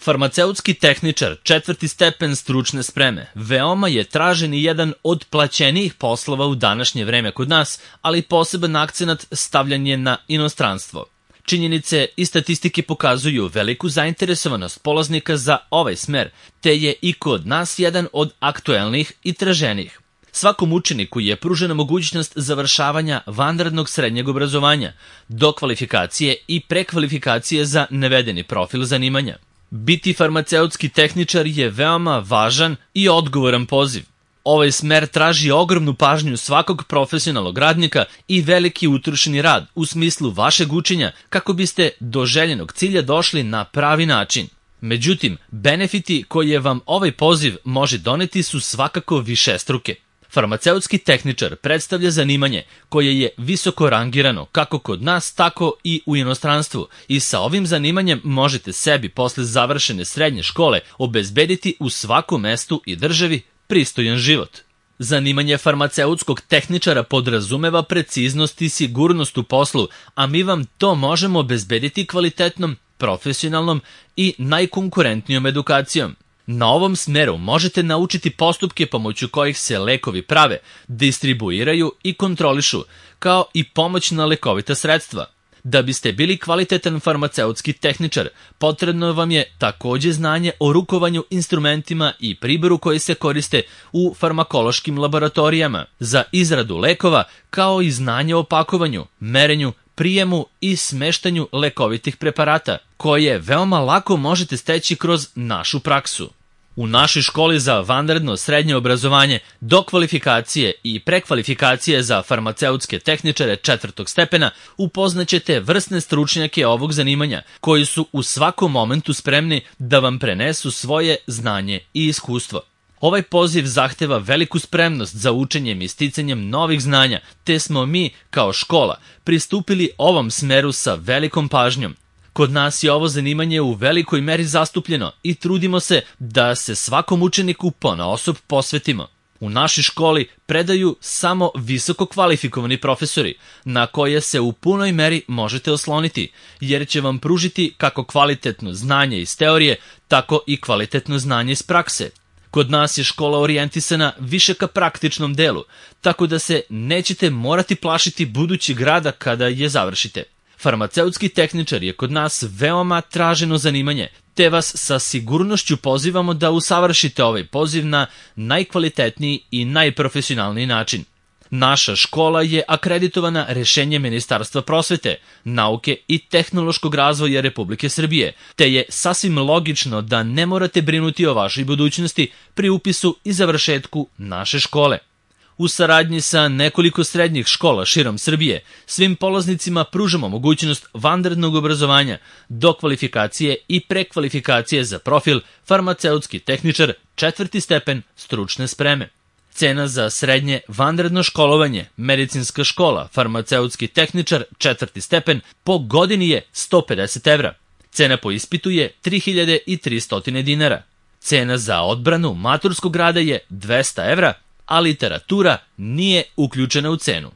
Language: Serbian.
Farmaceutski tehničar, 4. stepen stručne spreme, veoma je tražen i jedan od plaćenijih poslova u današnje vreme kod nas, ali poseban akcenat stavljan je na inostranstvo. Činjenice i statistike pokazuju veliku zainteresovanost polaznika za ovaj smer, te je i kod nas jedan od aktuelnih i traženijih. Svakom učeniku je pružena mogućnost završavanja vanrednog srednjeg obrazovanja, dokvalifikacije i prekvalifikacije za navedeni profil zanimanja. Biti farmaceutski tehničar je veoma važan i odgovoran poziv. Ovaj smer traži ogromnu pažnju svakog profesionalnog radnika i veliki utrošeni rad u smislu vašeg učenja kako biste do željenog cilja došli na pravi način. Međutim, benefiti koje vam ovaj poziv može doneti su svakako višestruke. Farmaceutski tehničar predstavlja zanimanje koje je visoko rangirano kako kod nas, tako i u inostranstvu i sa ovim zanimanjem možete sebi posle završene srednje škole obezbediti u svakom mestu i državi pristojan život. Zanimanje farmaceutskog tehničara podrazumeva preciznost i sigurnost u poslu, a mi vam to možemo obezbediti kvalitetnom, profesionalnom i najkonkurentnijom edukacijom. Na ovom smeru možete naučiti postupke pomoću kojih se lekovi prave, distribuiraju i kontrolišu, kao i pomoćna lekovita sredstva. Da biste bili kvalitetan farmaceutski tehničar, potrebno vam je takođe znanje o rukovanju instrumentima i priboru koji se koriste u farmakološkim laboratorijama za izradu lekova, kao i znanje o pakovanju, merenju, prijemu i smeštanju lekovitih preparata, koje veoma lako možete steći kroz našu praksu. U našoj školi za vanredno srednje obrazovanje, dokvalifikacije i prekvalifikacije za farmaceutske tehničare 4. stepena upoznaćete vrsne stručnjake ovog zanimanja, koji su u svakom momentu spremni da vam prenesu svoje znanje i iskustvo. Ovaj poziv zahteva veliku spremnost za učenjem i sticanjem novih znanja, te smo mi, kao škola, pristupili ovom smeru sa velikom pažnjom. Kod nas je ovo zanimanje u velikoj meri zastupljeno i trudimo se da se svakom učeniku ponaosob posvetimo. U našoj školi predaju samo visoko kvalifikovani profesori, na koje se u punoj meri možete osloniti, jer će vam pružiti kako kvalitetno znanje iz teorije, tako i kvalitetno znanje iz prakse. Kod nas je škola orijentisana više ka praktičnom delu, tako da se nećete morati plašiti budućeg rada kada je završite. Farmaceutski tehničar je kod nas veoma traženo zanimanje, te vas sa sigurnošću pozivamo da usavršite ovaj poziv na najkvalitetniji i najprofesionalniji način. Naša škola je akreditovana rešenjem Ministarstva prosvete, nauke i tehnološkog razvoja Republike Srbije, te je sasvim logično da ne morate brinuti o vašoj budućnosti pri upisu i završetku naše škole. U saradnji sa nekoliko srednjih škola širom Srbije, svim polaznicima pružamo mogućnost vanrednog obrazovanja, dokvalifikacije i prekvalifikacije za profil farmaceutski tehničar 4. stepen stručne spreme. Cena za srednje vanredno školovanje, medicinska škola, farmaceutski tehničar 4. stepen po godini je 150 evra. Cena po ispitu je 3300 dinara. Cena za odbranu maturskog rada je 200 evra, a literatura nije uključena u cenu.